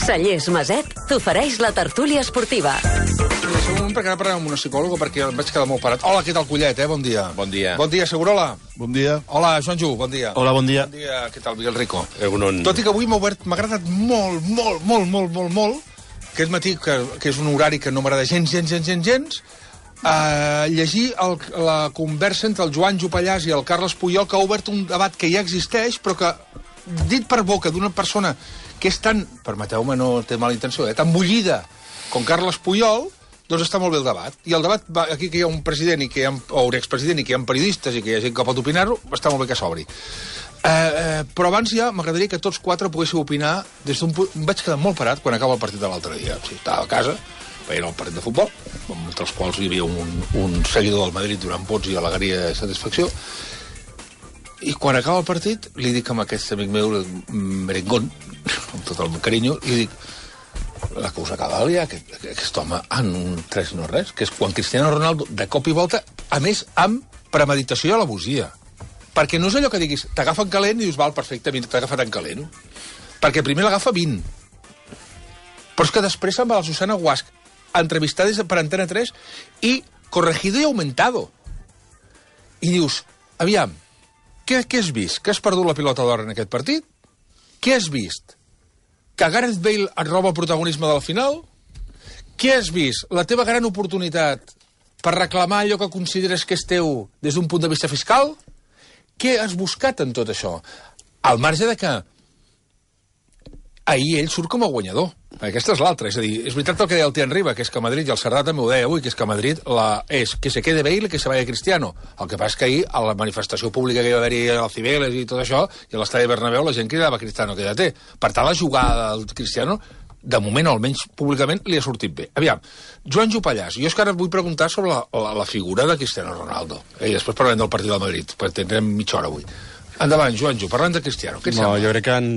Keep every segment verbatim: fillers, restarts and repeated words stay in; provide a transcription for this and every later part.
Cellers Maset t'ofereix la tertúlia esportiva. És un moment perquè ara parlem amb una psicòloga perquè em vaig quedar molt parat. Hola, què tal, Collet, eh? Bon dia. Bon dia. Bon dia, Segurola. Bon dia. Hola, Joanjo, bon dia. Hola, bon dia. Bon dia, què tal, Miguel Rico? Egunon. Tot i que avui m'ha obert, m'ha agradat molt, molt, molt, molt, molt, molt, aquest matí, que, que és un horari que no m'agrada gens, gens, gens, gens, gens, Uh, llegir el, la conversa entre el Joan Jopallàs i el Carles Puyol, que ha obert un debat que ja existeix, però que, dit per boca d'una persona que és tan, permeteu-me, no té mala intenció, eh, tan bullida com Carles Puyol, doncs està molt bé el debat. I el debat, va, aquí que hi ha un president i que hi ha, o un expresident i que hi ha periodistes i que hi ha gent que pot opinar-ho, està molt bé que s'obri. Uh, uh, però abans ja m'agradaria que tots quatre poguéssiu opinar des d'un punt... Em vaig quedar molt parat quan acaba el partit de l'altre dia. O sigui, estava a casa, veient el partit de futbol, entre els quals hi havia un, un seguidor del Madrid donant vots i alegria de satisfacció, i quan acaba el partit li dic a aquest amic meu, merengón, amb tot el meu carinyo, li dic, la que us acaba de liar, aquest, aquest home en un tres no res, que és quan Cristiano Ronaldo, de cop i volta, a més, amb premeditació i alabosia. Perquè no és allò que diguis, t'agafa en calent i dius, val, perfecte, t'ha agafat en calent. Perquè primer l'agafa vint. Però és que després se'n va la Susana Guasch, entrevistada per Antena tres i corregido i aumentado. I dius, aviam, què, què has vist? Que has perdut la pilota d'or en aquest partit? Què has vist? Que Gareth Bale et roba el protagonisme de la final? Què has vist? La teva gran oportunitat per reclamar allò que consideres que és teu des d'un punt de vista fiscal? Què has buscat en tot això? Al marge de que ahir ell surt com a guanyador. Aquesta és l'altra. És a dir, és veritat el que deia el Tian Riba, que és que Madrid, i el Cerdà també ho deia avui, que és que Madrid la, és que se quede Bale i que se vaya Cristiano. El que passa és que ahir, a la manifestació pública que hi va haver-hi a Cibeles i tot això, i a l'estadi Bernabéu, la gent cridava Cristiano, quédate. Per tant, la jugada del Cristiano, de moment, almenys públicament, li ha sortit bé. Aviam, Joan Jopallàs, jo és que ara vull preguntar sobre la, la, la figura de Cristiano Ronaldo. I després parlem del partit del Madrid, perquè tindrem mitja hora avui. Endavant, Joanjo, parlant de Cristiano. Què et no, sembla? jo crec que en,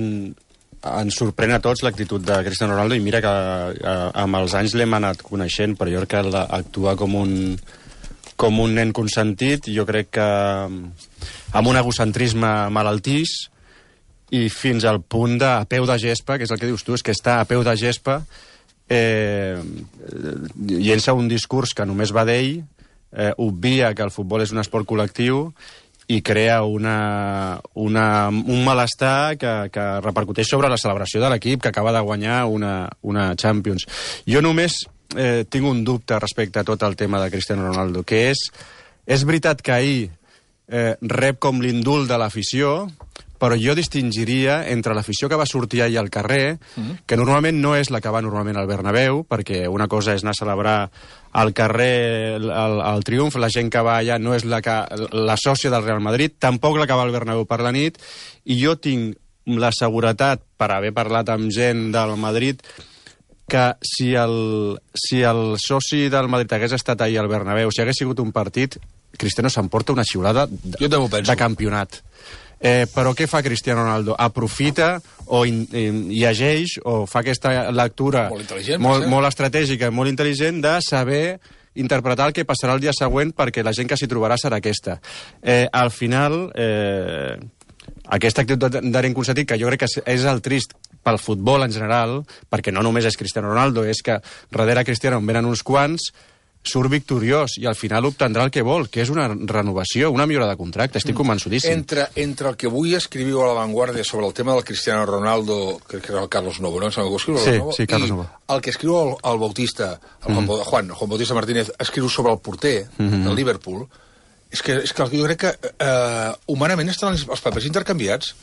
ens sorprèn a tots l'actitud de Cristiano Ronaldo, i mira que a, amb els anys l'hem anat coneixent, però jo crec que la, actua com un, com un nen consentit, jo crec que amb un egocentrisme malaltís, i fins al punt de a peu de gespa, que és el que dius tu, és que està a peu de gespa, eh, llença un discurs que només va d'ell, eh, obvia que el futbol és un esport col·lectiu, i crea una, una, un malestar que, que repercuteix sobre la celebració de l'equip que acaba de guanyar una, una Champions. Jo només eh, tinc un dubte respecte a tot el tema de Cristiano Ronaldo, que és, és veritat que ahir eh, rep com l'indult de l'afició, però jo distingiria entre l'afició que va sortir ahir al carrer, mm-hmm. que normalment no és la que va normalment al Bernabéu, perquè una cosa és anar a celebrar al carrer el, el triomf, la gent que va allà no és la, que, la sòcia del Real Madrid, tampoc la que va al Bernabéu per la nit, i jo tinc la seguretat, per haver parlat amb gent del Madrid, que si el, si el soci del Madrid hagués estat ahir al Bernabéu, si hagués sigut un partit, Cristiano s'emporta una xiulada de, de campionat. Eh, però què fa Cristiano Ronaldo? Aprofita o in, in, llegeix o fa aquesta lectura molt, molt, molt estratègica, molt intel·ligent de saber interpretar el que passarà el dia següent, perquè la gent que s'hi trobarà serà aquesta. Eh, al final, eh, aquesta actitud d'aren consentit, que jo crec que és el trist pel futbol en general, perquè no només és Cristiano Ronaldo, és que darrere Cristiano en venen uns quants, surt victoriós i al final obtendrà el que vol, que és una renovació, una millora de contracte, estic convençudíssim. Entre, entre el que avui escriviu a La Vanguardia sobre el tema del Cristiano Ronaldo, que era el Carlos Novo, no? Que escriu sí, Novo, sí, Carlos Novo. El que escriu el, el Bautista, el mm. Juan, Juan, Juan Bautista Martínez, escriu sobre el porter mm -hmm. del Liverpool, és que, és que jo crec que eh, humanament estan els, els papers intercanviats,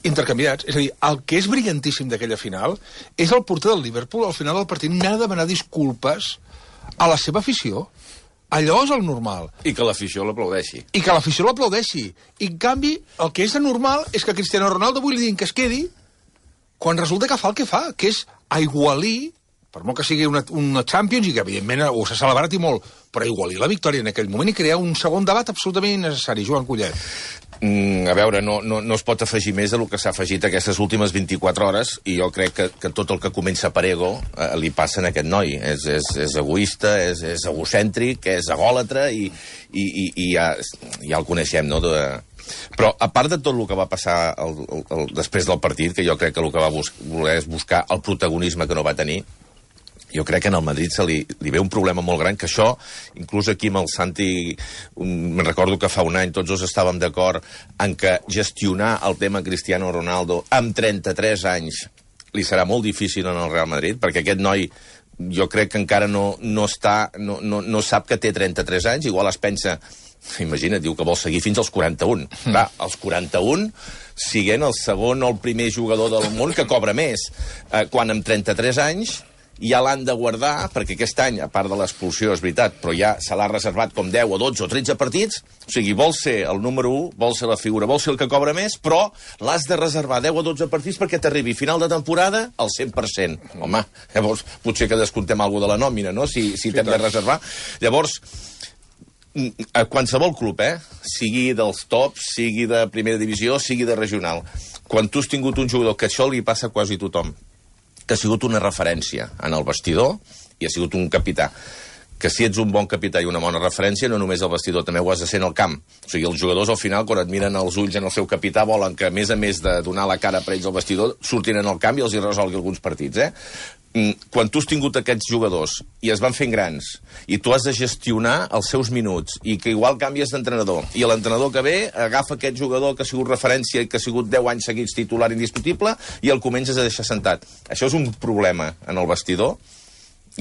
intercanviats, és a dir, el que és brillantíssim d'aquella final és el porter del Liverpool, al final del partit n'ha de demanar disculpes a la seva afició. Allò és el normal. I que l'afició l'aplaudeixi. I que l'afició l'aplaudeixi. I, en canvi, el que és anormal és que Cristiano Ronaldo avui li diguin que es quedi quan resulta que fa el que fa, que és aigualir, per molt que sigui una, una Champions, i que, evidentment, ho s'ha celebrat i molt, però aigualir la victòria en aquell moment i crear un segon debat absolutament innecessari. Joan Collet. Mm, a veure, no, no, no es pot afegir més del que s'ha afegit aquestes últimes vint-i-quatre hores, i jo crec que, que tot el que comença per ego eh, li passa a aquest noi. És, és, és egoista, és, és egocèntric, és egòlatre, i, i, i, i ja, ja el coneixem, no?, de... Però, a part de tot el que va passar el, el, el, després del partit, que jo crec que el que va bus voler és buscar el protagonisme que no va tenir, jo crec que en el Madrid se li, li ve un problema molt gran, que això, inclús aquí amb el Santi, me'n recordo que fa un any tots dos estàvem d'acord en que gestionar el tema Cristiano Ronaldo amb trenta-tres anys li serà molt difícil en el Real Madrid, perquè aquest noi jo crec que encara no, no, està, no, no, no sap que té trenta-tres anys, igual es pensa, imagina't, diu que vol seguir fins als quaranta-un. Mm. Clar, als quaranta-un, siguent el segon o el primer jugador del món que cobra més, eh, quan amb trenta-tres anys ja l'han de guardar, perquè aquest any, a part de l'expulsió, és veritat, però ja se l'ha reservat com deu o dotze o tretze partits, o sigui, vol ser el número u, vol ser la figura, vol ser el que cobra més, però l'has de reservar deu o dotze partits perquè t'arribi final de temporada al cent per cent. Home, llavors potser que descomptem alguna de la nòmina, no?, si, si t'hem de reservar. Llavors, a qualsevol club, eh, sigui dels tops, sigui de primera divisió, sigui de regional, quan tu has tingut un jugador, que això li passa a quasi tothom, que ha sigut una referència en el vestidor i ha sigut un capità, que si ets un bon capità i una bona referència, no només al vestidor, també ho has de ser en el camp. O sigui, els jugadors al final, quan et miren els ulls en el seu capità, volen que, a més a més de donar la cara per ells al vestidor, surtin en el camp i els hi resolgui alguns partits, eh? Quan tu has tingut aquests jugadors i es van fent grans i tu has de gestionar els seus minuts i que igual canvies d'entrenador i l'entrenador que ve agafa aquest jugador que ha sigut referència i que ha sigut deu anys seguits titular indiscutible i el comences a deixar sentat. Això és un problema en el vestidor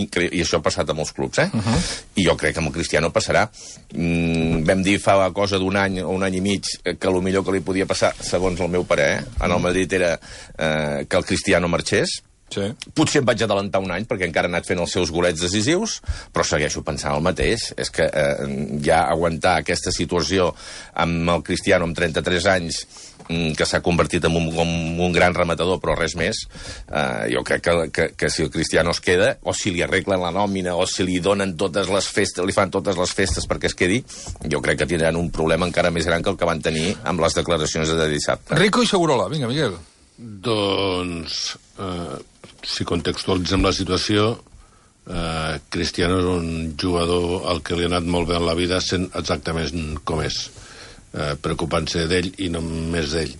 i, i això ha passat a molts clubs, eh? Uh -huh. I jo crec que amb el Cristiano passarà. Mm, vam dir fa cosa d'un any o un any i mig que el millor que li podia passar, segons el meu parer, eh? En el Madrid era eh, que el Cristiano marxés. Sí. Potser em vaig adelantar un any perquè encara ha anat fent els seus golets decisius, però segueixo pensant el mateix. És que eh, ja aguantar aquesta situació amb el Cristiano amb trenta-tres anys, que s'ha convertit en un, en un gran rematador, però res més, eh, jo crec que, que, que si el Cristiano es queda, o si li arreglen la nòmina, o si li donen totes les festes, li fan totes les festes perquè es quedi, jo crec que tindran un problema encara més gran que el que van tenir amb les declaracions de dissabte. Rico i Segurola, vinga, Miguel. Doncs, eh, si contextualitzem la situació, eh, Cristiano és un jugador al que li ha anat molt bé en la vida sent exactament com és. Eh, preocupant-se d'ell i no més d'ell.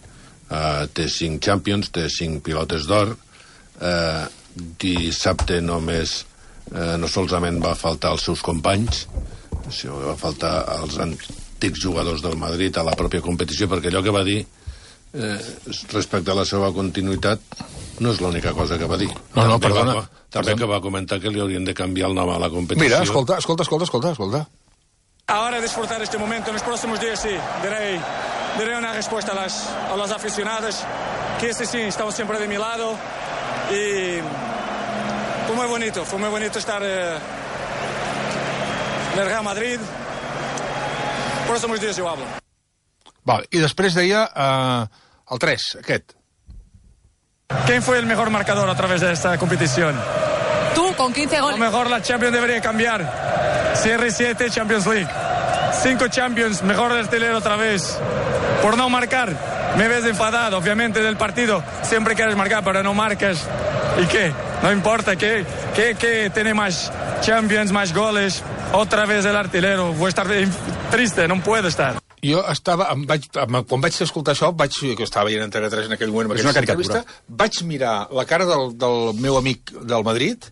Eh, té cinc Champions, té cinc pilotes d'or. Eh, dissabte només eh, no solament va faltar als seus companys, sinó que va faltar als antics jugadors del Madrid a la pròpia competició, perquè allò que va dir eh, respecte a la seva continuïtat no és l'única cosa que va dir. No, no, també perdona. Va, també perdona. Que va comentar que li haurien de canviar el nom a la competició. Mira, escolta, escolta, escolta, escolta, escolta. Ahora disfrutar este momento, en los próximos días sí, daré, daré una respuesta a las, a las aficionadas, que ese sí, estamos siempre de mi lado, y fue muy bonito, fue muy bonito estar eh, en el Real Madrid. Próximos días yo hablo. Vale, i després deia eh, el tres, aquest. ¿Quién fue el mejor marcador a través de esta competición? Tú, con quince goles. A lo mejor la Champions debería cambiar. C R siete Champions League. Cinco Champions, mejor artillero otra vez. Por no marcar, me ves enfadado, obviamente, del partido. Siempre quieres marcar, pero no marcas. ¿Y qué? No importa, ¿qué? ¿Qué, qué tiene más Champions, más goles? Otra vez el artillero. Voy a estar triste, no puedo estar. Jo estava, em vaig, em, quan vaig escoltar això, vaig, que estava veient en T V tres en aquell moment, amb aquesta entrevista, vaig mirar la cara del, del meu amic del Madrid,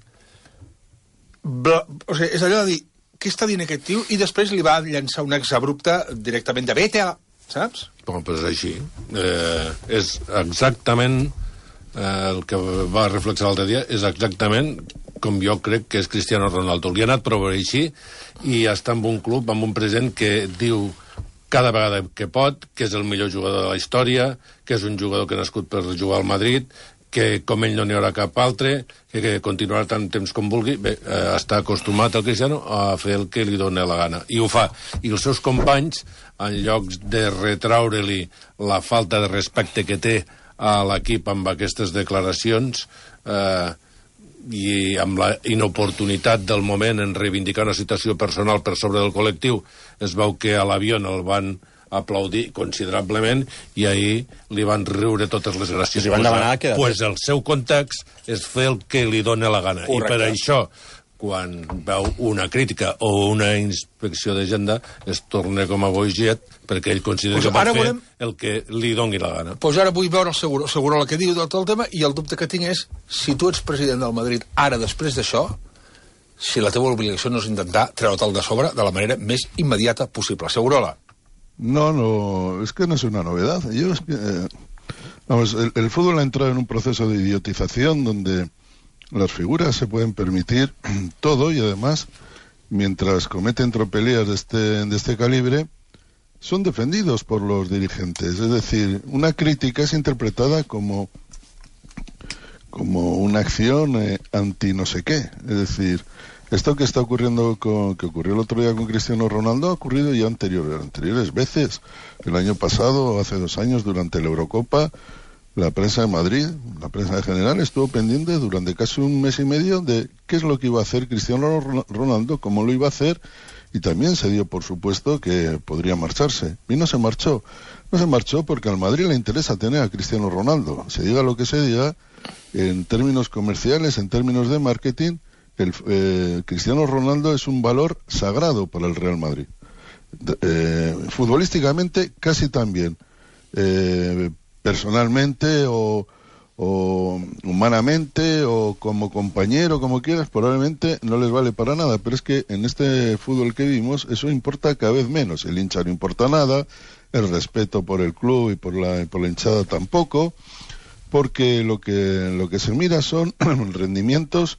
bla, o sigui, és allò de dir, què està dient aquest tio? I després li va llançar un exabrupte directament de vete, saps? Bon, doncs així. Eh, és exactament eh, el que va reflexar l'altre dia, és exactament com jo crec que és Cristiano Ronaldo. Li ha anat prou així i està en un club, amb un president que diu cada vegada que pot, que és el millor jugador de la història, que és un jugador que ha nascut per jugar al Madrid, que com ell no n'hi haurà cap altre, que, que continuarà tant temps com vulgui. Bé, eh, està acostumat el Cristiano a fer el que li dona la gana, i ho fa. I els seus companys, en lloc de retraure-li la falta de respecte que té a l'equip amb aquestes declaracions, eh, i amb la inoportunitat del moment en reivindicar una situació personal per sobre del col·lectiu, es veu que a l'avió el van aplaudir considerablement i ahir li van riure totes les gràcies. Li van demanar que... Pues el seu context és fer el que li dona la gana. Correcte. I per això, quan veu una crítica o una inspecció d'agenda, es torna com a boiget perquè ell considera pues que pot fer volem... el que li doni la gana. Doncs pues ara vull veure el Seguro, Seguro el que diu de tot el tema, i el dubte que tinc és, si tu ets president del Madrid ara, després d'això, si la teva obligació no és intentar treure-te'l de sobre de la manera més immediata possible. Segurola. No, no, es que no es una novedad. Yo es que, eh, vamos, el, el fútbol ha entrado en un proceso de idiotización donde las figuras se pueden permitir todo y además, mientras cometen tropelías de este, de este calibre, son defendidos por los dirigentes. Es decir, una crítica es interpretada como, como una acción eh, anti no sé qué. Es decir, esto que está ocurriendo, con, que ocurrió el otro día con Cristiano Ronaldo, ha ocurrido ya anterior, anteriores veces. El año pasado, hace dos años, durante la Eurocopa, la prensa de Madrid, la prensa en general, estuvo pendiente durante casi un mes y medio de qué es lo que iba a hacer Cristiano Ronaldo, cómo lo iba a hacer, y también se dio por supuesto que podría marcharse. Y no se marchó. No se marchó porque al Madrid le interesa tener a Cristiano Ronaldo. Se diga lo que se diga, en términos comerciales, en términos de marketing, el, eh, Cristiano Ronaldo es un valor sagrado para el Real Madrid. Eh, futbolísticamente casi también. Eh, personalmente o, o humanamente o como compañero, como quieras, probablemente no les vale para nada, pero es que en este fútbol que vimos eso importa cada vez menos. El hincha no importa nada, el respeto por el club y por la, por la hinchada tampoco, porque lo que, lo que se mira son rendimientos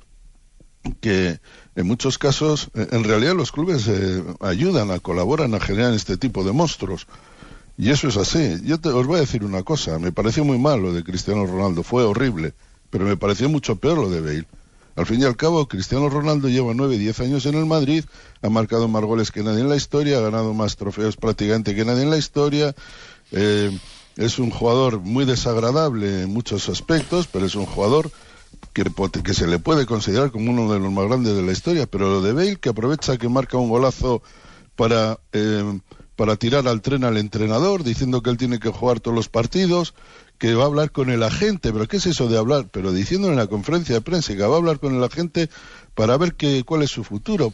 que en muchos casos, en realidad los clubes eh, ayudan, a colaboran a generar este tipo de monstruos. Y eso es así. Yo te, os voy a decir una cosa. Me pareció muy mal lo de Cristiano Ronaldo. Fue horrible. Pero me pareció mucho peor lo de Bale. Al fin y al cabo, Cristiano Ronaldo lleva nueve, diez años en el Madrid. Ha marcado más goles que nadie en la historia. Ha ganado más trofeos prácticamente que nadie en la historia. Eh, es un jugador muy desagradable en muchos aspectos, pero es un jugador que, que se le puede considerar como uno de los más grandes de la historia. Pero lo de Bale, que aprovecha que marca un golazo para... Eh, para tirar al tren al entrenador, diciendo que él tiene que jugar todos los partidos, que va a hablar con el agente, pero ¿qué es eso de hablar? Pero diciendo en la conferencia de prensa que va a hablar con el agente para ver qué, cuál es su futuro.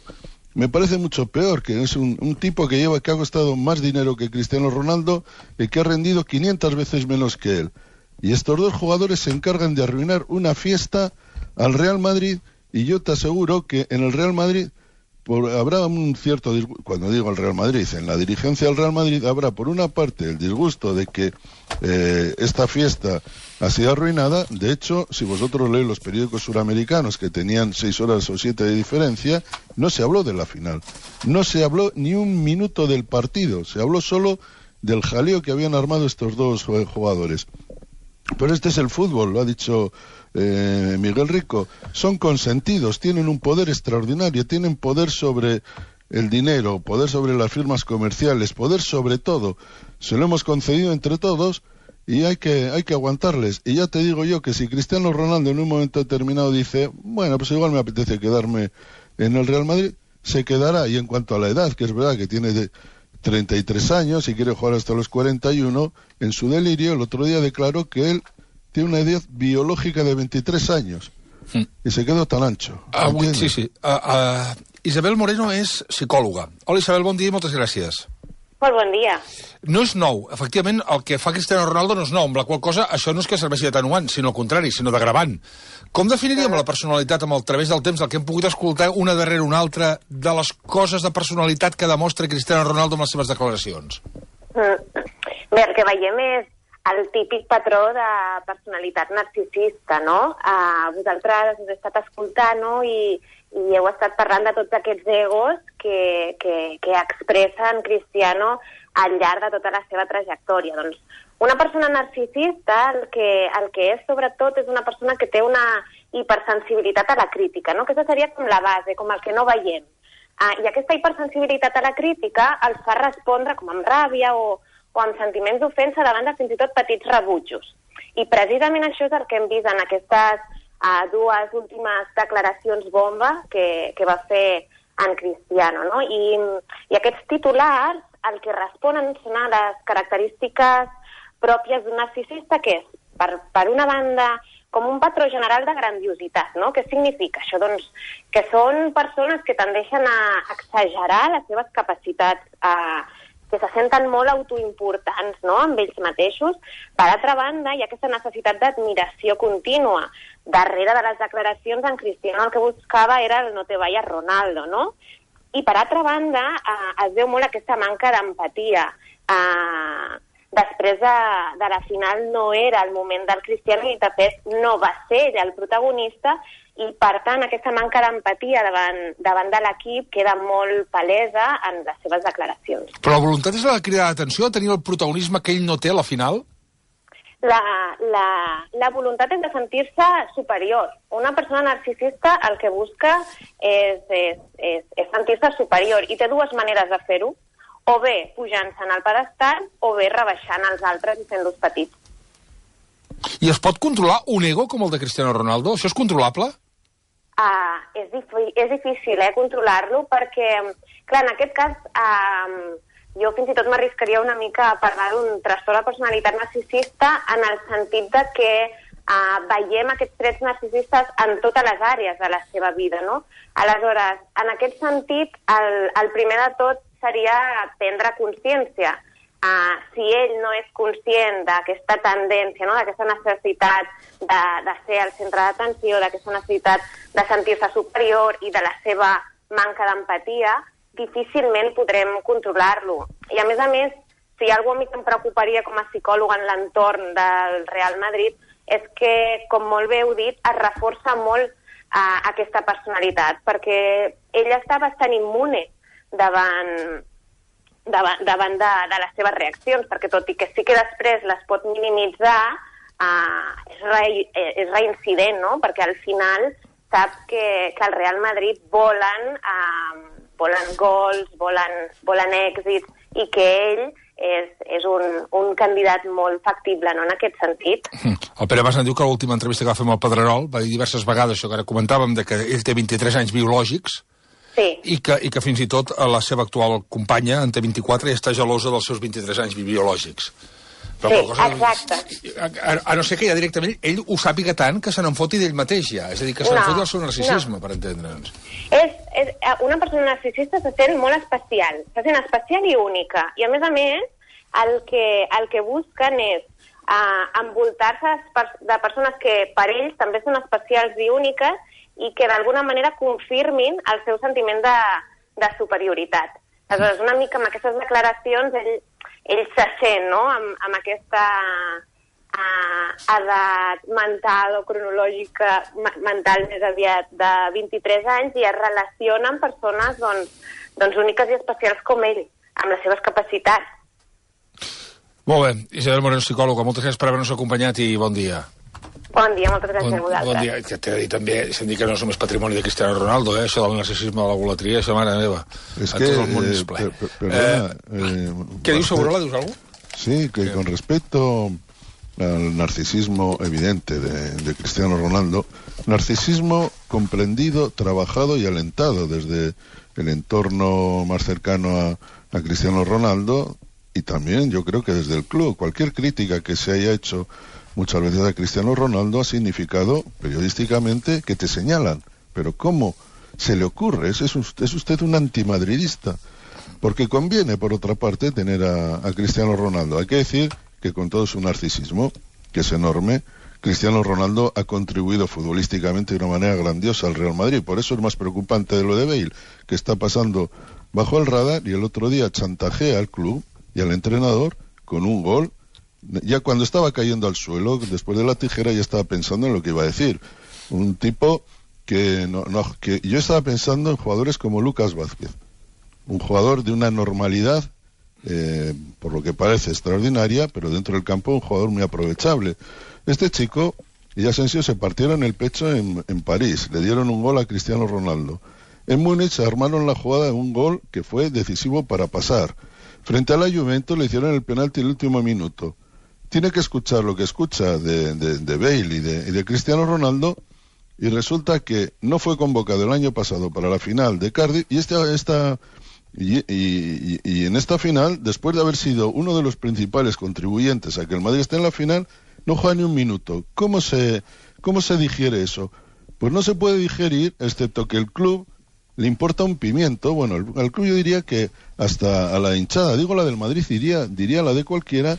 Me parece mucho peor, que es un, un tipo que lleva, que ha costado más dinero que Cristiano Ronaldo y que ha rendido quinientas veces menos que él. Y estos dos jugadores se encargan de arruinar una fiesta al Real Madrid, y yo te aseguro que en el Real Madrid Por, habrá un cierto disgusto, cuando digo el Real Madrid, en la dirigencia del Real Madrid habrá por una parte el disgusto de que eh, esta fiesta ha sido arruinada. De hecho, si vosotros leéis los periódicos suramericanos que tenían seis horas o siete de diferencia, no se habló de la final, no se habló ni un minuto del partido, se habló solo del jaleo que habían armado estos dos eh, jugadores. Pero este es el fútbol, lo ha dicho eh, Miguel Rico. Son consentidos, tienen un poder extraordinario, tienen poder sobre el dinero, poder sobre las firmas comerciales, poder sobre todo. Se lo hemos concedido entre todos y hay que, hay que aguantarles. Y ya te digo yo que si Cristiano Ronaldo en un momento determinado dice, bueno, pues igual me apetece quedarme en el Real Madrid, se quedará. Y en cuanto a la edad, que es verdad que tiene de treinta y tres años y quiere jugar hasta los cuarenta y uno, en su delirio el otro día declaró que él tiene una edad biológica de veintitrés años mm. y se quedó tan ancho. Ah, sí, sí. Uh, uh, Isabel Moreno és psicòloga. Hola Isabel, bon dia i moltes gràcies. Molt bon dia. No és nou, efectivament, el que fa Cristiano Ronaldo no és nou, amb la qual cosa això no és que serveixi d'atenuant, sinó al contrari, sinó d'agravant. Com definiríem la personalitat amb el través del temps, el que hem pogut escoltar una darrere una altra de les coses de personalitat que demostra Cristiano Ronaldo amb les seves declaracions? Mm. Bé, el que veiem és el típic patró de personalitat narcisista, no? Uh, vosaltres us he estat escoltant, no? I, i heu estat parlant de tots aquests egos que, que, que expressen Cristiano al llarg de tota la seva trajectòria. Doncs una persona narcisista el que, el que és, sobretot, és una persona que té una hipersensibilitat a la crítica, no? Aquesta seria com la base, com el que no veiem. Uh, I aquesta hipersensibilitat a la crítica els fa respondre com amb ràbia o, o amb sentiments d'ofensa davant de fins i tot petits rebutjos. I precisament això és el que hem vist en aquestes uh, dues últimes declaracions bomba que, que va fer en Cristiano, no? I, i aquests titulars el que responen són a les característiques pròpies d'un narcisista, que és, per, per una banda, com un patró general de grandiositat, no? Què significa això? Doncs que són persones que tendeixen a exagerar les seves capacitats, a, que se senten molt autoimportants, no?, amb ells mateixos. Per altra banda, hi ha aquesta necessitat d'admiració contínua. Darrere de les declaracions, en Cristiano el que buscava era el no te vayas Ronaldo, no? I per altra banda, eh, es veu molt aquesta manca d'empatia. Eh, després de, de la final no era el moment del Cristiano i de fet no va ser ell el protagonista, i per tant aquesta manca d'empatia davant, davant de l'equip queda molt palesa en les seves declaracions. Però la voluntat és la de cridar l'atenció, tenir el protagonisme que ell no té a la final? La, la, la voluntat és de sentir-se superior. Una persona narcisista el que busca és, és, és, és sentir-se superior, i té dues maneres de fer-ho: o bé pujant-se'n al pedestal, o bé rebaixant els altres i fent-los petits. I es pot controlar un ego com el de Cristiano Ronaldo? Això és controlable? Uh, és, dif- és difícil, eh, controlar-lo, perquè, clar, en aquest cas, uh, jo fins i tot m'arriscaria una mica a parlar d'un trastorn de personalitat narcisista, en el sentit de que uh, veiem aquests trets narcisistes en totes les àrees de la seva vida, no? Aleshores, en aquest sentit, el, el primer de tot seria prendre consciència. Uh, si ell no és conscient d'aquesta tendència, no?, d'aquesta necessitat de, de ser el centre d'atenció, d'aquesta necessitat de sentir-se superior i de la seva manca d'empatia, difícilment podrem controlar-lo. I a més a més, si hi ha alguna cosa que em preocuparia com a psicòloga en l'entorn del Real Madrid és que, com molt bé heu dit, es reforça molt uh, aquesta personalitat, perquè ell està bastant immune davant, davant, davant de, de les seves reaccions, perquè tot i que sí que després les pot minimitzar, uh, és, re, és reincident, no? Perquè al final sap que, que el Real Madrid volen, uh, volen gols, volen, volen èxits, i que ell és, és un, un candidat molt factible, no?, en aquest sentit. El Pere Mas en diu que a l'última entrevista que va fer amb el Pedrerol va dir diverses vegades això que ara comentàvem, de que ell té vint-i-tres anys biològics, sí. i, que, i que fins i tot la seva actual companya en té vint-i-quatre i està gelosa dels seus vint-i-tres anys biològics. Però sí, cosa, exacte. A, a, a no ser que ja directament ell ho sàpiga tant que se n'enfoti d'ell mateix ja, és a dir, que se n'enfoti no, del seu narcisisme, no. Per entendre'ns. És, és, una persona narcisista se sent molt especial, se sent especial i única, i a més a més el que, el que busquen és uh, envoltar-se de persones que per ells també són especials i úniques i que d'alguna manera confirmin el seu sentiment de, de superioritat. Aleshores, una mica amb aquestes declaracions ell, ell se sent, no?, amb, amb aquesta uh, edat mental o cronològica, mental més aviat de vint-i-tres anys, i es relaciona amb persones doncs, doncs úniques i especials com ell, amb les seves capacitats. Molt bé, Isabel Moreno, psicòloga, moltes gràcies per haver-nos acompanyat i bon dia. Bon dia, moltes gràcies bon, a vosaltres. Bon dia, que t'he de dir també, se'n dit que no som més patrimoni de Cristiano Ronaldo, eh? Això del narcisisme de la golatria, això, mare meva. Es que, el món és eh, ple. per, perdona, eh, eh, ¿Qué dius, Segurola? ¿Dius algo? Sí, que sí. Con respecto al narcisismo evidente de, de Cristiano Ronaldo, narcisismo comprendido, trabajado y alentado desde el entorno más cercano a, a Cristiano Ronaldo, y también yo creo que desde el club. Cualquier crítica que se haya hecho muchas veces a Cristiano Ronaldo ha significado periodísticamente que te señalan. Pero ¿cómo se le ocurre? ¿Es, usted, es usted un antimadridista? Porque conviene, por otra parte, tener a, a Cristiano Ronaldo. Hay que decir que con todo su narcisismo, que es enorme, Cristiano Ronaldo ha contribuido futbolísticamente de una manera grandiosa al Real Madrid. Por eso es más preocupante de lo de Bale, que está pasando bajo el radar, y el otro día chantajea al club y al entrenador con un gol. Ya cuando estaba cayendo al suelo, después de la tijera, ya estaba pensando en lo que iba a decir. Un tipo que, no, no, que yo estaba pensando en jugadores como Lucas Vázquez, un jugador de una normalidad, eh, por lo que parece extraordinaria, pero dentro del campo un jugador muy aprovechable. Este chico y Asensio se partieron el pecho en, en París, le dieron un gol a Cristiano Ronaldo. En Múnich se armaron la jugada de un gol que fue decisivo para pasar. Frente a la Juventus le hicieron el penalti en el último minuto. Tiene que escuchar lo que escucha de, de, de Bale y de, y de Cristiano Ronaldo, y resulta que no fue convocado el año pasado para la final de Cardiff, y esta, esta Y, y, y en esta final, después de haber sido uno de los principales contribuyentes a que el Madrid esté en la final, no juega ni un minuto. ¿Cómo se, cómo se digiere eso? Pues no se puede digerir, excepto que el club le importa un pimiento. Bueno, el, al club yo diría que hasta a la hinchada, digo la del Madrid, diría, diría la de cualquiera,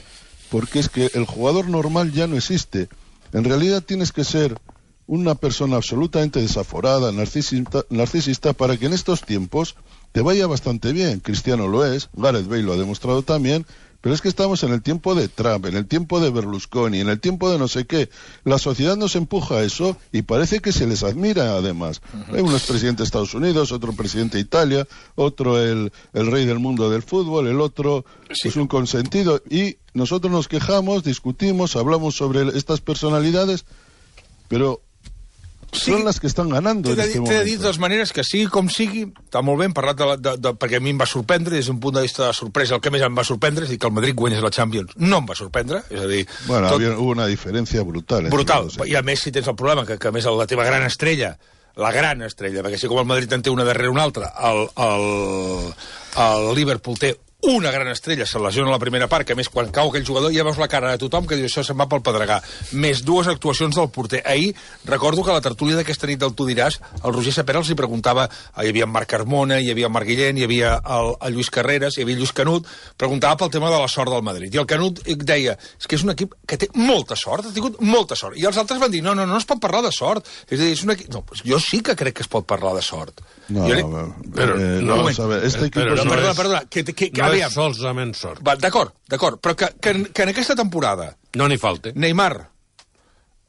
porque es que el jugador normal ya no existe. En realidad tienes que ser una persona absolutamente desaforada, narcisista, narcisista, para que en estos tiempos te vaya bastante bien. Cristiano lo es, Gareth Bale lo ha demostrado también, pero es que estamos en el tiempo de Trump, en el tiempo de Berlusconi, en el tiempo de no sé qué. La sociedad nos empuja a eso y parece que se les admira, además. Uh-huh. Hay unos presidentes de Estados Unidos, otro presidente de Italia, otro el, el rey del mundo del fútbol, el otro sí. pues un consentido. Y nosotros nos quejamos, discutimos, hablamos sobre estas personalidades, però sí, són les que estan ganando en este moment. T'he de dir de totes maneres que sigui com sigui, està molt bé, hem parlat de, la, de, de, perquè a mi em va sorprendre, des d'un punt de vista de sorpresa, el que més em va sorprendre és dir que el Madrid guanyés la Champions. No em va sorprendre, és a dir... Bueno, tot... había, hubo una diferència brutal. Brutal, i a més si tens el problema, que, que a més la teva gran estrella, la gran estrella, perquè així com el Madrid en té una darrere una altra, el, el, el Liverpool té una gran estrella, se lesiona a la primera part, que a més quan cau aquell jugador ja veus la cara de tothom que diu això se'n va pel pedregar, més dues actuacions del porter. Ahir recordo que a la tertúlia d'aquesta nit del Tu diràs, el Roger Sapera els hi preguntava, hi havia en Marc Carmona, hi havia en Marc Guillén, hi havia el, el Lluís Carreras, hi havia Lluís Canut, preguntava pel tema de la sort del Madrid, i el Canut deia, és que és un equip que té molta sort, ha tingut molta sort, i els altres van dir, no, no, no es pot parlar de sort, és a dir, és un equip... no, pues jo sí que crec que es pot parlar de sort. No, jo no, però, eh, no, vamos a ver, este equipo... Però, no perdona, es... perdona, que, que, que, no aviam. és solament sort. Va, d'acord, d'acord, però que, que, que en aquesta temporada... No n'hi falta. Neymar,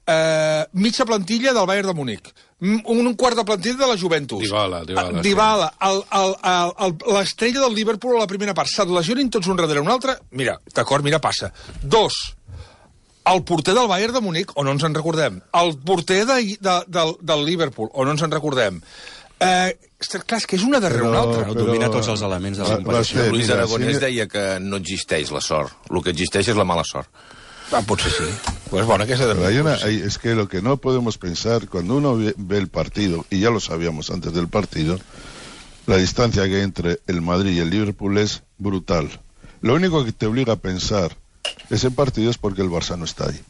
eh, mitja plantilla del Bayern de Múnich, un, un quart de plantilla de la Juventus. Dybala, Dybala. Dybala, el, el, el, el, l'estrella del Liverpool a la primera part. Se't lesionin tots un darrere un altre? Mira, d'acord, mira, passa. Dos, el porter del Bayern de Múnich, o no ens en recordem. El porter de, de, del, del Liverpool, o no ens en recordem. Eh, clar, és que és una darrere una altra. Però, domina tots els elements de la competició. Luis Aragonès deia que no existeix la sort. El que existeix és la mala sort. Ah, potser sí. Pues bueno, que se hay una, hay, es que lo que no podemos pensar, cuando uno ve, ve el partido, y ya lo sabíamos antes del partido, la distancia que hay entre el Madrid y el Liverpool es brutal. Lo único que te obliga a pensar ese partido es porque el Barça no está ahí.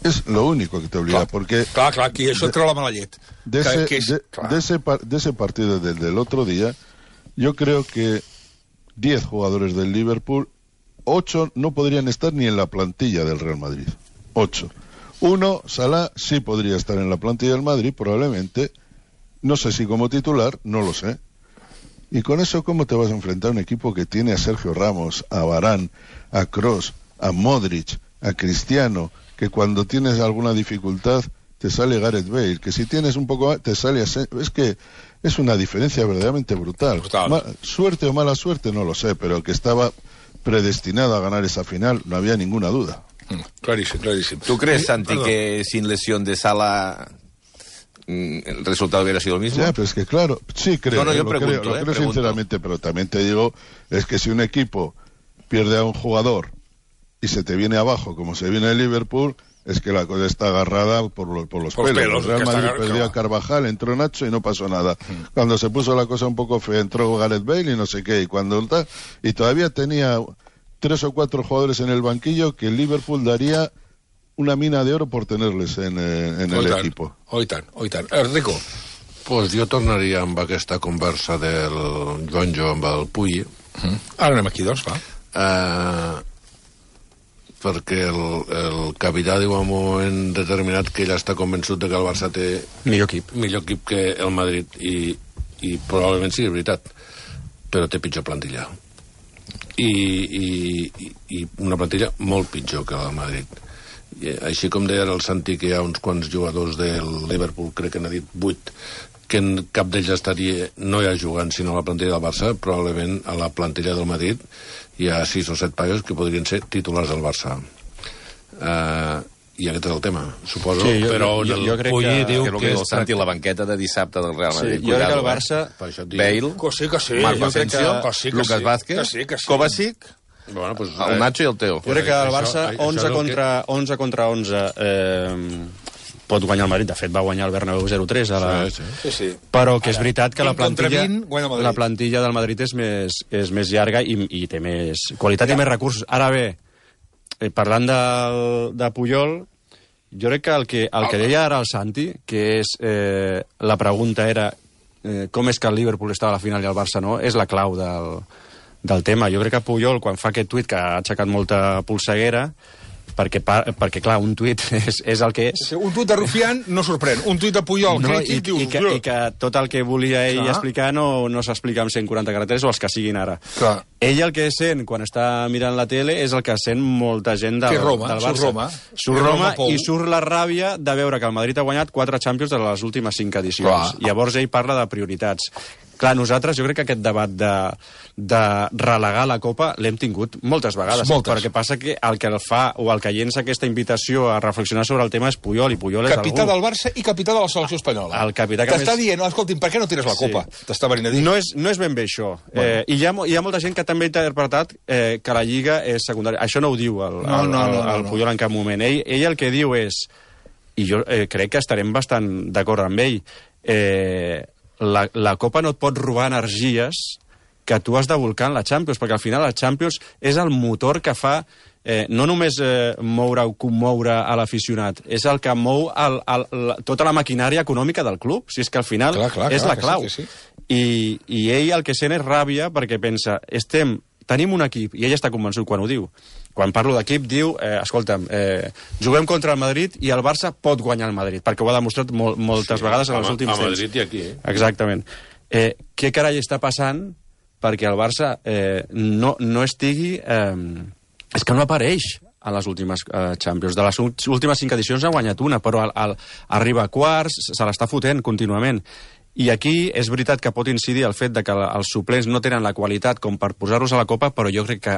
Es lo único que te obliga, clar, porque... Clar, clar, aquí això treu la mala llet. De ese, que, que és, de, de, ese, de ese partido del, del otro día, yo creo que diez jugadores del Liverpool, ocho no podrían estar ni en la plantilla del Real Madrid. Ocho. Uno, Salah, sí podría estar en la plantilla del Madrid, probablemente. No sé si como titular, no lo sé. Y con eso, ¿cómo te vas a enfrentar a un equipo que tiene a Sergio Ramos, a Varane, a Kroos, a Modric, a Cristiano, que cuando tienes alguna dificultad te sale Gareth Bale, que si tienes un poco más te sale... Es que es una diferencia verdaderamente brutal. brutal. Ma suerte o mala suerte, no lo sé, pero que estaba predestinado a ganar esa final, no había ninguna duda. Mm, clarísimo, clarísimo. ¿Tú crees, Santi, Perdón. que sin lesión de Salah el resultado hubiera sido el mismo? Ya, pero es que claro, sí creo, no, no, yo lo pregunto, creo, lo eh, creo pregunto. sinceramente, pero también te digo, es que si un equipo pierde a un jugador y se te viene abajo, como se viene el Liverpool, es que la cosa está agarrada por, lo, por los por pelos. pelos. El Real Madrid perdió a Carvajal, entró Nacho y no pasó nada. Mm. Cuando se puso la cosa un poco fea, entró Gareth Bale y no sé qué, y cuando y todavía tenía tres o cuatro jugadores en el banquillo que el Liverpool daría una mina de oro por tenerles en, en el tant, equipo. Oi tant, oi tant. Rico. Pues jo tornaria amb aquesta conversa del Gonjo amb el Puy. Mm. Ara anem aquí, doncs, va. Uh, perquè el, el capità diu en un moment determinat que ell està convençut de que el Barça té millor equip, millor equip que el Madrid, i, i probablement sigui veritat, però té pitjor plantilla. I, i, i una plantilla molt pitjor que la del Madrid. I, així com deia el Santi que hi ha uns quants jugadors del Liverpool, crec que n'ha dit vuit, que en cap d'ells estaria no ja jugant sinó a la plantilla del Barça, probablement a la plantilla del Madrid hi ha sis o set paios que podrien ser titulars del Barça. Uh, I aquest és el tema, suposo. Sí, jo, però jo, jo crec que... diu que, que, que el Santi, la banqueta de dissabte del Real Madrid. Sí, jo crec que el Barça... Eh? Bale, que sí, que sí. Marco Asensio, que sí, que Lucas sí, Vázquez, que sí, que sí. Kovacic, bueno, pues, el Nacho i el Teo. Jo crec que el Això- Barça, això onze és el contra, onze contra onze, eh, pot guanyar el Madrid. De fet, va guanyar el Bernabéu zero tres. A la... Sí, sí. sí, sí. Però que és veritat que la plantilla, vint, la plantilla del Madrid és més, és més llarga i, i té més qualitat i més recursos. Ara bé, eh, parlant de, de Puyol, jo crec que el que, el que deia ara el Santi, que és, eh, la pregunta era eh, com és que el Liverpool estava a la final i el Barça no, és la clau del, del tema. Jo crec que Puyol, quan fa aquest tuit que ha aixecat molta polseguera, perquè, perquè clar, un tuit és, és el que és. Un tuit de Rufián no sorprèn. Un tuit de Puyol no, crític, i, dius... I que, I que tot el que volia ell clar. explicar no, no s'explica amb cent quaranta caràcters o els que siguin ara. Clar. Ell el que sent quan està mirant la tele és el que sent molta gent del, Roma, del Barça. Surt Roma. Surt Roma, Roma i surt la ràbia de veure que el Madrid ha guanyat quatre Champions de les últimes cinc edicions. Clar. Llavors ell parla de prioritats. Clar, nosaltres, jo crec que aquest debat de, de relegar la Copa l'hem tingut moltes vegades. Moltes. Perquè passa que el que el fa o el que llença aquesta invitació a reflexionar sobre el tema és Puyol, i Puyol és capità algú... del Barça i capità de la selecció espanyola. El capità que T'està més... dient, escolti'm, per què no tires la Copa? Sí. T'està venint a dir. No és, no és ben bé això. Bueno. Eh, I hi ha, hi ha molta gent que també ha interpretat eh, que la Lliga és secundària. Això no ho diu el, no, el, no, no, el, no, el no. Puyol en cap moment. Ell, ell el que diu és, i jo eh, crec que estarem bastant d'acord amb ell, eh, la, la Copa no et pot robar energies que tu has de volcar en la Champions, perquè al final la Champions és el motor que fa eh, no només eh, moure o commoure a l'aficionat, és el que mou el, el, el, tota la maquinària econòmica del club. Si és que al final clar, clar, és clar, la clau. sí, sí. I, I ell el que sent és ràbia perquè pensa, estem, tenim un equip, i ell està convençut quan ho diu. Quan parlo d'equip, diu, eh, escolta'm, eh, juguem contra el Madrid i el Barça pot guanyar el Madrid, perquè ho ha demostrat mol, moltes sí, vegades en els últims temps. A Madrid i aquí, eh? Exactament. Eh, què carai està passant perquè el Barça eh, no, no estigui... Eh, és que no apareix a les últimes eh, Champions. De les últimes cinc edicions ha guanyat una, però al, al, arriba a quarts, se l'està fotent contínuament. I aquí és veritat que pot incidir el fet de que els suplents no tenen la qualitat com per posar-los a la Copa, però jo crec que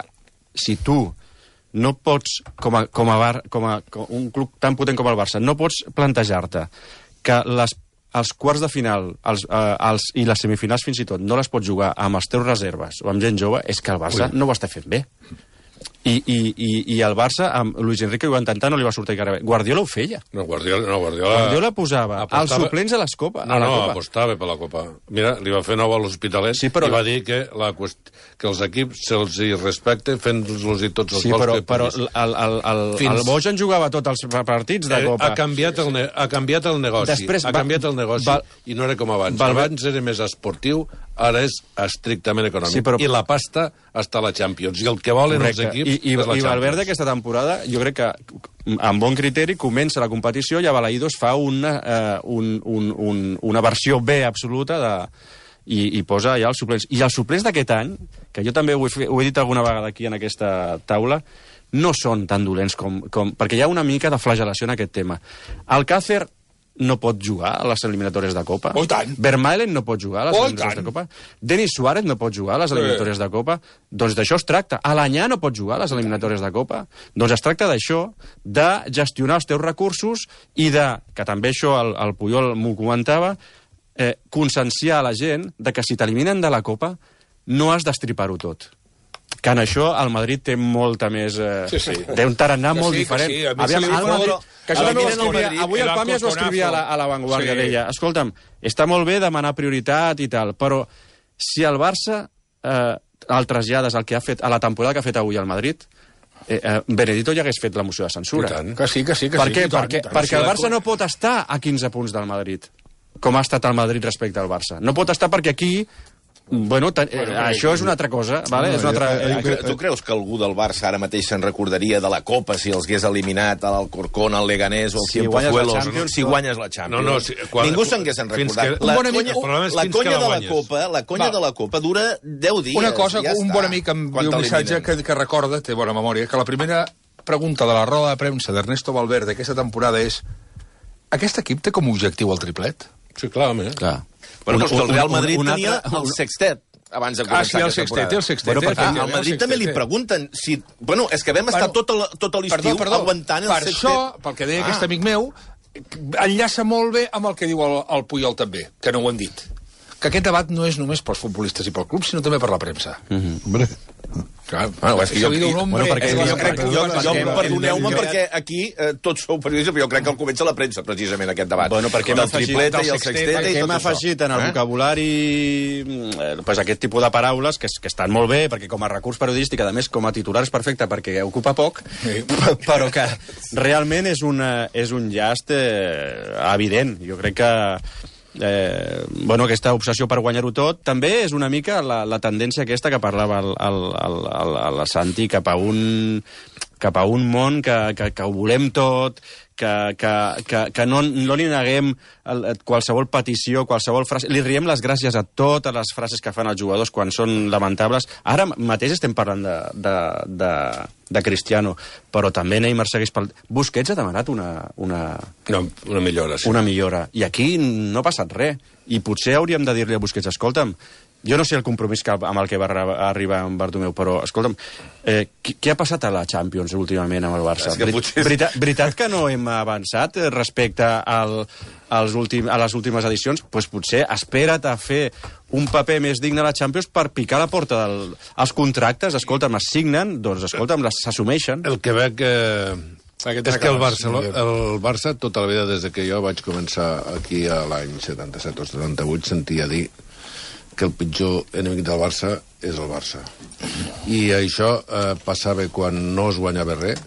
si tu no pots, com a, com a, bar, com a com un club tan potent com el Barça, no pots plantejar-te que les, els quarts de final els, eh, els, i les semifinals fins i tot no les pots jugar amb els teus reserves o amb gent jove, és que el Barça Ui. no ho està fent bé. I, i, i, i el Barça, amb Luis Enrique ho va intentar, no li va sortir cara bé. Guardiola ho feia. No, Guardiola, no, Guardiola... Guardiola posava apostava... els suplents a les Copa. No, a la no, Copa. apostava per la Copa. Mira, li va fer nou a l'Hospitalet sí, però... i va dir que, la qüest... que els equips se'ls hi respecte fent-los i tots els sí, gols però, que però el, el, el, Fins... el Bojan jugava tots els partits de Copa. Ha canviat el, ne... ha canviat el negoci. Després, ha canviat el negoci va... i no era com abans. Va... Abans era més esportiu, ara és estrictament econòmic. Sí, però... I la pasta està a la Champions. I el que volen Correcte. els equips I, i, és la i Champions. Valverde aquesta temporada, jo crec que amb bon criteri comença la competició i a Balaïdos fa una, uh, un, un, un, una versió B absoluta de, i, i posa ja els suplents. I els suplents d'aquest any, que jo també ho he, ho he dit alguna vegada aquí en aquesta taula, no són tan dolents com, com... perquè hi ha una mica de flagel·lació en aquest tema. Alcácer no pot jugar a les eliminatòries de Copa. Oh, tant. Vermaelen no pot jugar a les oh, eliminatòries de Copa. Denis Suárez no pot jugar a les eliminatòries de Copa. Doncs d'això es tracta. Alanyà no pot jugar a les eliminatòries de Copa. Doncs es tracta d'això, de gestionar els teus recursos i de, que també això el, el Puyol m'ho comentava, eh, conscienciar a la gent de que si t'eliminen de la Copa no has d'estripar-ho tot. Que en això el Madrid té molta més... Eh, sí, sí. Té un tarannà que molt sí, diferent. Que sí, a mi Aviam, se li el Madrid, que això també ho escrivia, Madrid, avui el Pàmies ho escrivia a la, a la Vanguardia, sí. Deia, escolta'm, està molt bé demanar prioritat i tal, però si el Barça eh, el trasllades al que ha fet, a la temporada que ha fet avui al Madrid, eh, eh, Benedito ja hagués fet la moció de censura. Que sí, que sí, que per sí. Què? Tant, perquè tant, perquè el Barça no pot estar a quinze punts del Madrid, com ha estat el Madrid respecte al Barça. No pot estar perquè aquí... Bueno, ta, eh, bueno, això és una altra cosa, vale? No, és una altra... eh, tu, tu creus que algú del Barça ara mateix se'n recordaria de la Copa si els hagués eliminat a l'Alcorcón, al Leganés o al si Cienfuegos si guanyes la Champions? No, no, si, quan, Ningú se'n hagués recordat. Que, la bon conya, amic, la conya la de la Copa, la conya Va. de la Copa dura deu dies. Una cosa, ja un està, bon amic em diu un missatge que, que recorda, té bona memòria, que la primera pregunta de la roda de premsa d'Ernesto Valverde aquesta temporada és: aquest equip té com a objectiu el triplet? Sí, clar, home. Clar. Bueno, però el Real Madrid un, un, un tenia altre, el sextet abans de Ah, començar sí, el aquesta sextet, temporada. el sextet. Bueno, perquè el al Madrid també li pregunten si... Bueno, és que vam estar Bueno, tot, el, tot l'estiu aguantant el per sextet. Per això, pel que deia ah. aquest amic meu, enllaça molt bé amb el que diu el, el Puyol també, que no ho han dit. que aquest debat no és només pels futbolistes i pel club, sinó també per la premsa. Mm-hmm. Hombre... Clar, bueno, és que jo, jo, bueno, perquè jo, jo, crec, jo, jo, jo perdoneu-me perquè aquí eh, tots sou periodistes, però jo crec que el comença la premsa, precisament, aquest debat. Bueno, perquè del tripleta i el sexteta i tot això. Hem afegit en el vocabulari eh, pues aquest tipus de paraules que, que estan molt bé, perquè com a recurs periodístic, a més, com a titular és perfecte perquè ocupa poc, sí. Però que realment és, una, és un llast eh, evident. Jo crec que Eh, bueno, aquesta obsessió per guanyar-ho tot també és una mica la, la tendència aquesta que parlava el, el, el, el, el Santi cap a un, cap a un món que, que, que ho volem tot, que, que, que, que no, no li neguem el, qualsevol petició, qualsevol frase. Li riem les gràcies a totes les frases que fan els jugadors quan són lamentables. Ara mateix estem parlant de, de, de, de Cristiano, però també Neymar segueix pel... Busquets ha demanat una... Una, no, una millora, sí. Una millora. I aquí no ha passat res. I potser hauríem de dir-li a Busquets, escolta'm, jo no sé el compromís que, amb el que va arribar en Bartomeu, però, escolta'm, eh, què, què ha passat a la Champions últimament amb el Barça? És potser... Veritat, veritat que no hem avançat respecte al, als últim, a les últimes edicions? Doncs pues potser espera't a fer un paper més digne a la Champions per picar la porta dels del, contractes. Escolta'm, es signen, doncs, escolta'm, s'assumeixen. El que veig que... Aquest és que el Barça, el Barça, tota la vida, des que jo vaig començar aquí a l'any setanta-set o setanta-vuit, sentia dir que el pitjor enemic del Barça és el Barça. I això eh, passava quan no es guanyava res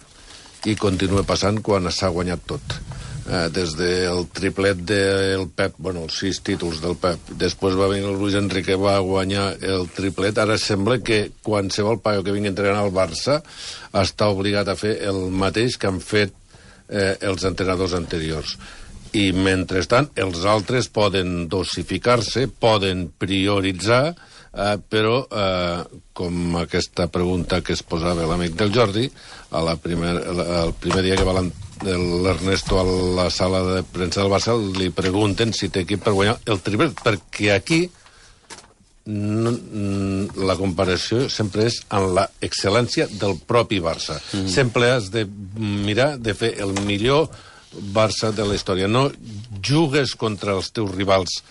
i continua passant quan s'ha guanyat tot. Eh, des del triplet del Pep, bueno, els sis títols del Pep, després va venir el Luis Enrique, va guanyar el triplet, ara sembla que qualsevol paio que vingui a entrenar al Barça està obligat a fer el mateix que han fet eh, els entrenadors anteriors. I, mentrestant, els altres poden dosificar-se, poden prioritzar, eh, però, eh, com aquesta pregunta que es posava l'amic del Jordi, a la primer, el primer dia que va l'Ernesto a la sala de premsa del Barça, li pregunten si té equip per guanyar el triplet, perquè aquí no, la comparació sempre és amb la excel·lència del propi Barça. Mm. Sempre has de mirar de fer el millor Barça de la història. No jugues contra els teus rivals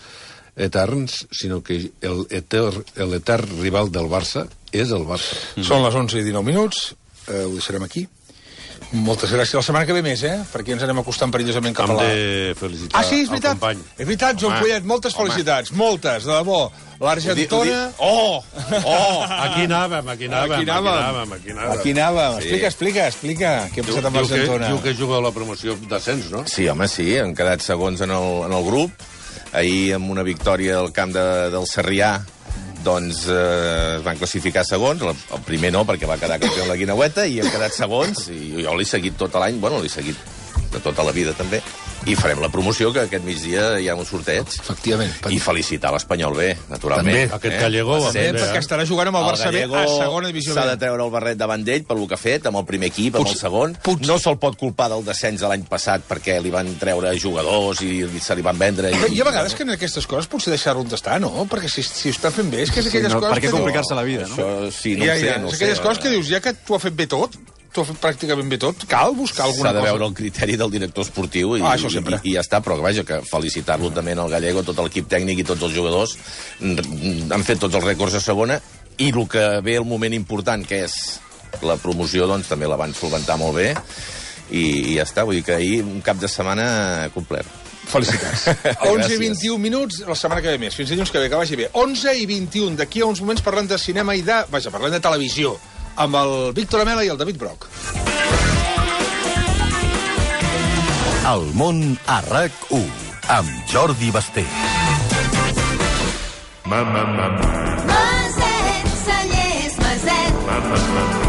eterns, sinó que l'etern rival del Barça és el Barça. Mm. Són les onze i dinou minuts, eh, ho deixarem aquí. Moltes gràcies. La setmana que ve més, eh? Perquè ens anem acostant perillosament cap a la... Hem de felicitar ah, sí, és veritat. el company. És veritat, Joan Collet, moltes home. felicitats. Moltes, de debò. L'Argentona... Oh! Oh! Aquí anàvem, aquí anàvem, aquí anàvem. Aquí anàvem. Aquí anàvem. Sí. Explica, explica, explica. Què ha passat amb l'Argentona? Diu que juga a la promoció d'ascens, no? Sí, home, sí. Han quedat segons en el, en el grup. Ahir, amb una victòria al camp de, del Sarrià, doncs eh, es van classificar segons. El, el primer no, perquè va quedar campió en la Guineueta, i han quedat segons. I jo l'he seguit tot l'any, bueno, l'he seguit de tota la vida, també. I farem la promoció, que aquest migdia hi ha un sorteig. Efectivament. I felicitar l'Espanyol B, naturalment. També, aquest Gallego... Eh? També, perquè estarà jugant amb el, el Barça B a segona divisió B. S'ha de treure el barret davant d'ell per lo que ha fet, amb el primer equip, amb el segon. Puig. No se'l pot culpar del descens de l'any passat perquè li van treure jugadors i se li van vendre... I, I a vegades que en aquestes coses potser deixar-ho d'estar, no? Perquè si, si ho està fent bé, és que és aquelles sí, no, coses... Per què complicar-se la vida, no? Això, sí, no ja, ho sé, ja, no és aquelles sé. coses que dius, ja que tu has fet bé tot, tu has fet pràcticament bé tot, cal buscar alguna cosa. S'ha de veure el criteri del director esportiu i, ah, això sempre. i, i ja està, però vaja, que felicitar-lo també al Gallego, tot l'equip tècnic i tots els jugadors. Han fet tots els rècords a segona i el que ve el moment important, que és la promoció, doncs també la van solventar molt bé i, i ja està, vull dir que ahir un cap de setmana complet. Felicitats. onze i vint-i-un minuts, la setmana que ve més. Fins dilluns que ve, que vagi bé. onze i vint-i-un, d'aquí a uns moments parlant de cinema i de... Vaja, parlant de televisió, amb el Víctor Amela i el David Broc. El món a RAC u, amb Jordi Basté. Maset, Cellers, Maset.